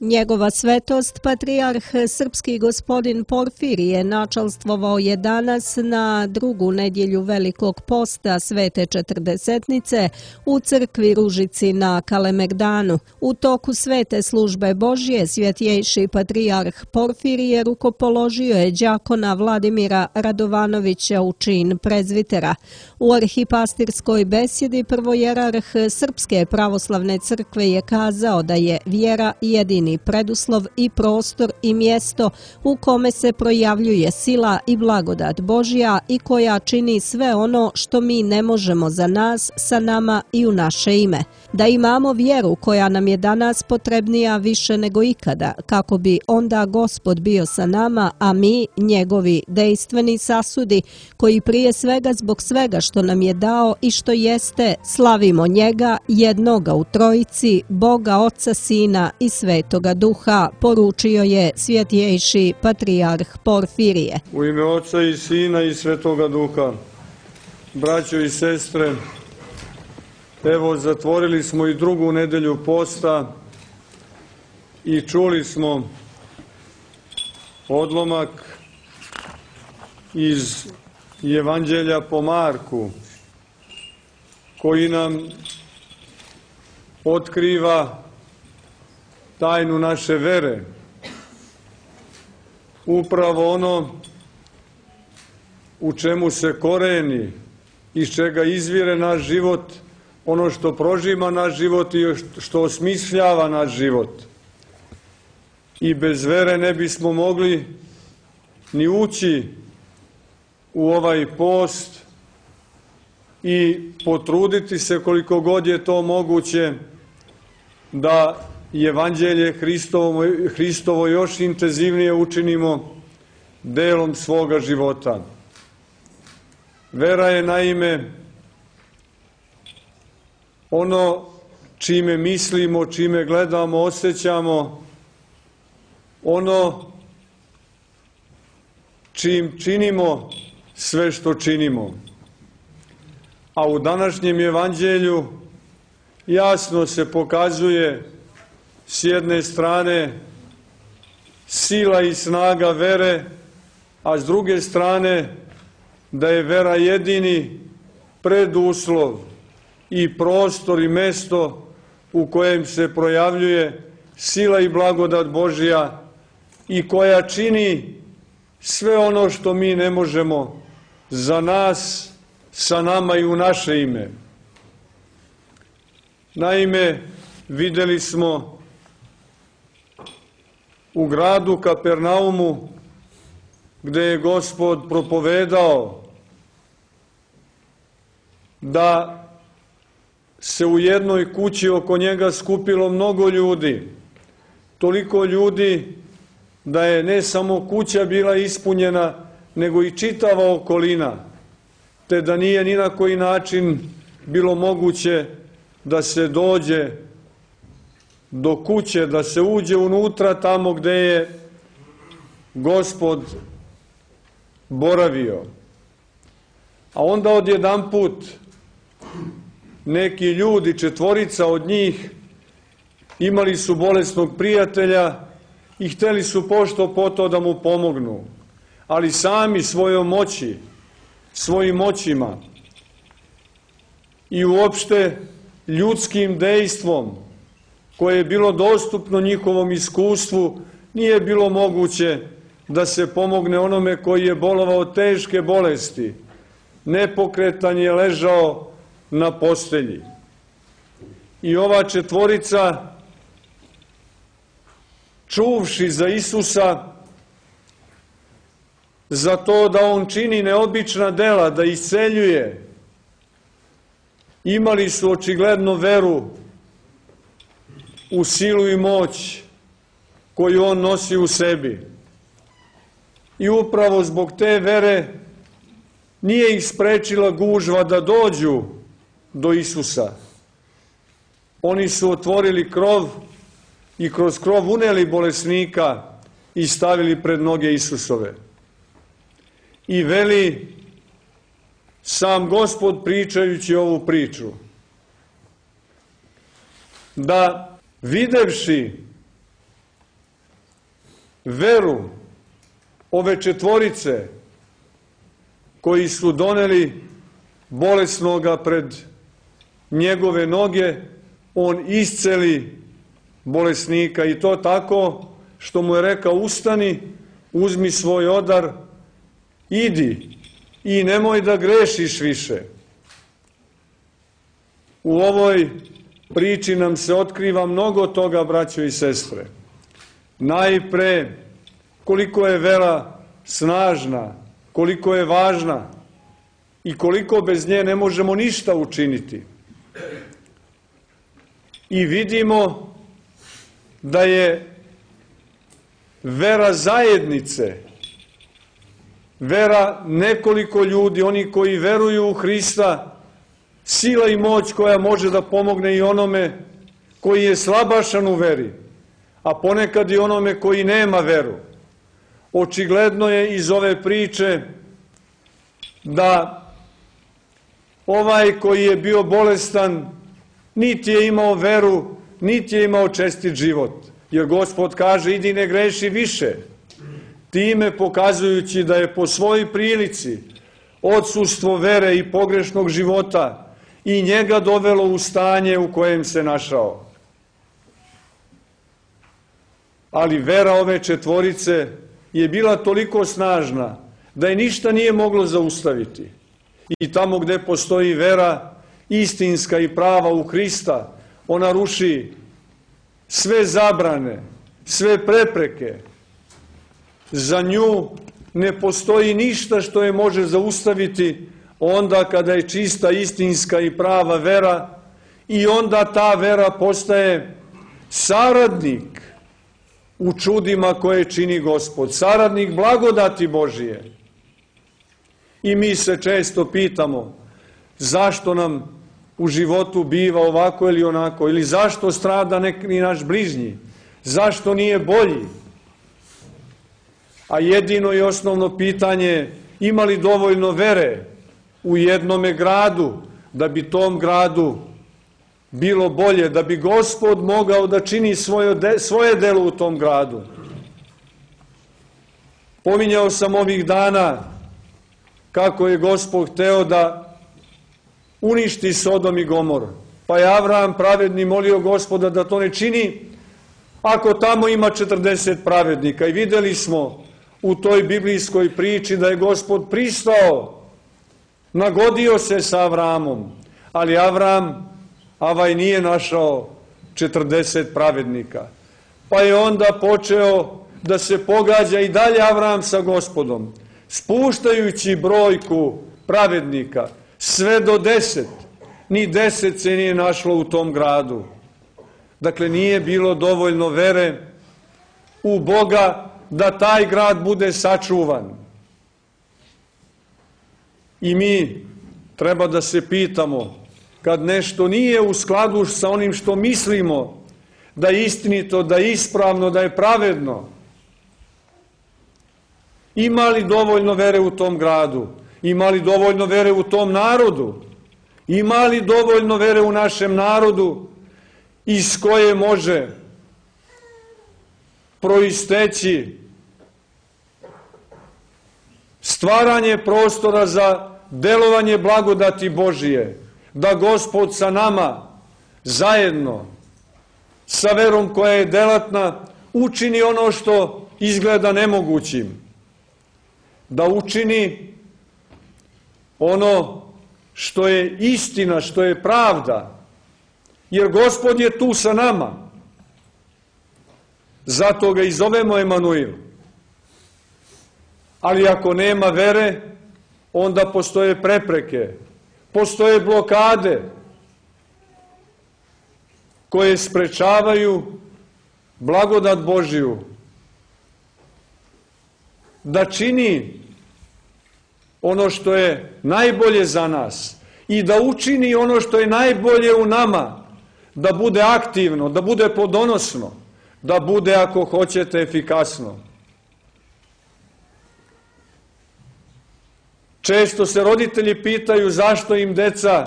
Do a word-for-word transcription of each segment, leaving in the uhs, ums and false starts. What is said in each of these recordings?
Njegova svetost, patrijarh srpski gospodin Porfirije, načalstvovao je danas na drugu nedjelju Velikog posta Svete Četrdesetnice u crkvi Ružici na Kalemegdanu. U toku svete službe Božje svjetjejši patrijarh Porfirije rukopoložio je đakona Vladimira Radovanovića u čin prezvitera. U arhipastirskoj besjedi prvojerarh Srpske pravoslavne crkve je kazao da je vjera jedini preduslov i prostor i mjesto u kome se projavljuje sila i blagodat Božja i koja čini sve ono što mi ne možemo za nas, sa nama i u naše ime. Da imamo vjeru koja nam je danas potrebnija više nego ikada, kako bi onda Gospod bio sa nama, a mi, njegovi dejstveni sasudi, koji prije svega zbog svega što nam je dao i što jeste, slavimo njega, jednoga u trojici, Boga, Oca, Sina i Svetoga Duha, poručio je svjetjejši patrijarh Porfirije. U ime Oca i Sina i Svetoga Duha, braćo i sestre, evo zatvorili smo i drugu nedelju posta i čuli smo odlomak iz Evanđelja po Marku, koji nam otkriva tajnu naše vere. Upravo ono u čemu se koreni, iz čega izvire naš život, ono što prožima naš život i što osmišljava naš život. I bez vere ne bismo mogli ni ući u ovaj post i potruditi se koliko god je to moguće da Evanđelje Hristovo, Hristovo još intenzivnije učinimo delom svoga života. Vera je naime ono čime mislimo, čime gledamo, osjećamo, ono čim činimo sve što činimo. A u današnjem Evanđelju jasno se pokazuje s jedne strane sila i snaga vere, a s druge strane da je vera jedini preduslov i prostor i mesto u kojem se projavljuje sila i blagodat Božja i koja čini sve ono što mi ne možemo za nas, sa nama i u naše ime. Naime, vidjeli smo u gradu Kapernaumu, gde je Gospod propovedao da se u jednoj kući oko njega skupilo mnogo ljudi, toliko ljudi da je ne samo kuća bila ispunjena, nego i čitava okolina, te da nije ni na koji način bilo moguće da se dođe do kuće, da se uđe unutra tamo gde je Gospod boravio. A onda odjedanput neki ljudi, četvorica od njih, imali su bolesnog prijatelja i hteli su pošto po to da mu pomognu, ali sami svojom moći, svojim moćima i uopšte ljudskim dejstvom koje je bilo dostupno njihovom iskustvu, nije bilo moguće da se pomogne onome koji je bolovao teške bolesti. Nepokretan je ležao na postelji. I ova četvorica, čuvši za Isusa, za to da on čini neobična dela, da isceljuje, imali su očigledno veru u silu i moć koju on nosi u sebi. I upravo zbog te vere nije ih sprečila gužva da dođu do Isusa. Oni su otvorili krov i kroz krov uneli bolesnika i stavili pred noge Isusove. I veli sam Gospod pričajući ovu priču, da videvši veru ove četvorice koji su doneli bolesnoga pred njegove noge, on isceli bolesnika i to tako što mu je rekao: ustani, uzmi svoj odar, idi i nemoj da grešiš više. U ovoj priči nam se otkriva mnogo toga, braćo i sestre. Najpre, koliko je vera snažna, koliko je važna i koliko bez nje ne možemo ništa učiniti. I vidimo da je vera zajednice, vera nekoliko ljudi, oni koji veruju u Hrista, sila i moć koja može da pomogne i onome koji je slabašan u veri, a ponekad i onome koji nema veru. Očigledno je iz ove priče da ovaj koji je bio bolestan niti je imao veru, niti je imao čestit život. Jer Gospod kaže: idi ne greši više. Time pokazujući da je po svojoj prilici odsustvo vere i pogrešnog života i njega dovelo u stanje u kojem se našao. Ali vera ove četvorice je bila toliko snažna da je ništa nije moglo zaustaviti. I tamo gde postoji vera istinska i prava u Hrista, ona ruši sve zabrane, sve prepreke. Za nju ne postoji ništa što je može zaustaviti onda kada je čista, istinska i prava vera, i onda ta vera postaje saradnik u čudima koje čini Gospod, saradnik blagodati Božije. I mi se često pitamo zašto nam u životu biva ovako ili onako, ili zašto strada neki naš bližnji, zašto nije bolji. A jedino i osnovno pitanje je: ima li dovoljno vere u jednome gradu da bi tom gradu bilo bolje, da bi Gospod mogao da čini svoje, de, svoje delo u tom gradu. Pominjao sam ovih dana kako je Gospod hteo da uništi Sodom i Gomor. Pa je Avram pravedni molio Gospoda da to ne čini ako tamo ima četrdeset pravednika. I videli smo u toj biblijskoj priči da je Gospod pristao, nagodio se sa Avramom, ali Avram, avaj, nije našao četrdeset pravednika. Pa je onda počeo da se pogađa i dalje Avram sa Gospodom, spuštajući brojku pravednika sve do deset. Ni deset se nije našlo u tom gradu. Dakle, nije bilo dovoljno vere u Boga da taj grad bude sačuvan. I mi treba da se pitamo, kad nešto nije u skladu sa onim što mislimo da je istinito, da je ispravno, da je pravedno, ima li dovoljno vere u tom gradu? Ima li dovoljno vere u tom narodu? Ima li dovoljno vere u našem narodu iz koje može proisteći stvaranje prostora za delovanje blagodati Božije, da Gospod sa nama zajedno, sa verom koja je delatna, učini ono što izgleda nemogućim, da učini ono što je istina, što je pravda, jer Gospod je tu sa nama. Zato ga i zovemo Emanuil. Ali ako nema vere, onda postoje prepreke, postoje blokade koje sprečavaju blagodat Božiju da čini ono što je najbolje za nas i da učini ono što je najbolje u nama, da bude aktivno, da bude plodonosno, da bude, ako hoćete, efikasno. Često se roditelji pitaju zašto im deca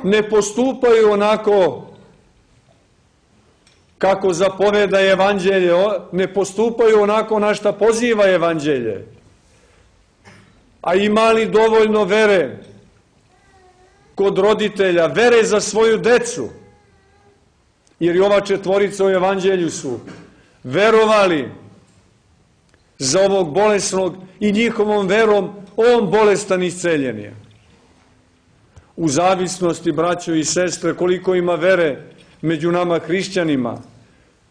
ne postupaju onako kako zapoveda evanđelje, ne postupaju onako na šta poziva evanđelje. A ima li dovoljno vere kod roditelja, vere za svoju decu? Jer i ova četvorica u evanđelju su verovali za ovog bolesnog i njihovom verom on bolestan isceljen je. U zavisnosti, braćo i sestre, koliko ima vere među nama hrišćanima,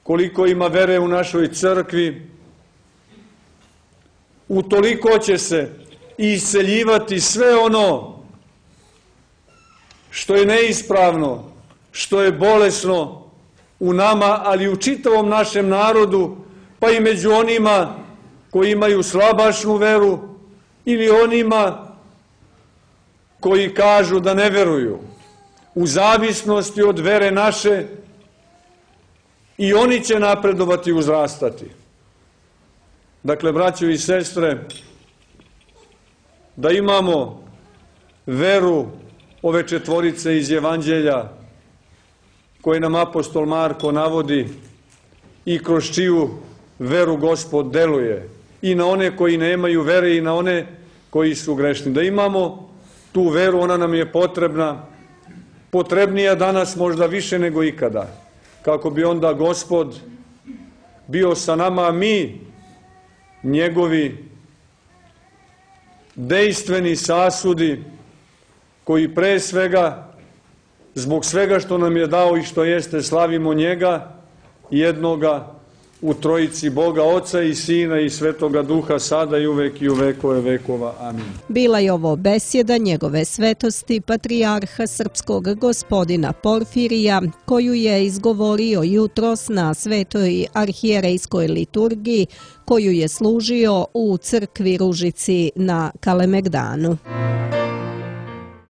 koliko ima vere u našoj crkvi, utoliko će se isceljivati sve ono što je neispravno, što je bolesno u nama, ali i u čitavom našem narodu, pa i među onima koji imaju slabašnu veru ili onima koji kažu da ne veruju. U zavisnosti od vere naše i oni će napredovati i uzrastati. Dakle, braćo i sestre, da imamo veru ove četvorice iz evanđelja koje nam apostol Marko navodi i kroz čiju veru Gospod deluje i na one koji nemaju vere i na one koji su grešni. Da imamo tu veru, ona nam je potrebna, potrebnija danas možda više nego ikada, kako bi onda Gospod bio sa nama, a mi njegovi dejstveni sasudi koji pre svega, zbog svega što nam je dao i što jeste, slavimo njega, jednoga u trojici Boga, Oca i Sina i Svetoga Duha, sada i uvek i u vekove vekova. Amin. Bila je ovo besjeda njegove svetosti patrijarha srpskog gospodina Porfirija, koju je izgovorio jutros na svetoj arhijerejskoj liturgiji, koju je služio u crkvi Ružici na Kalemegdanu.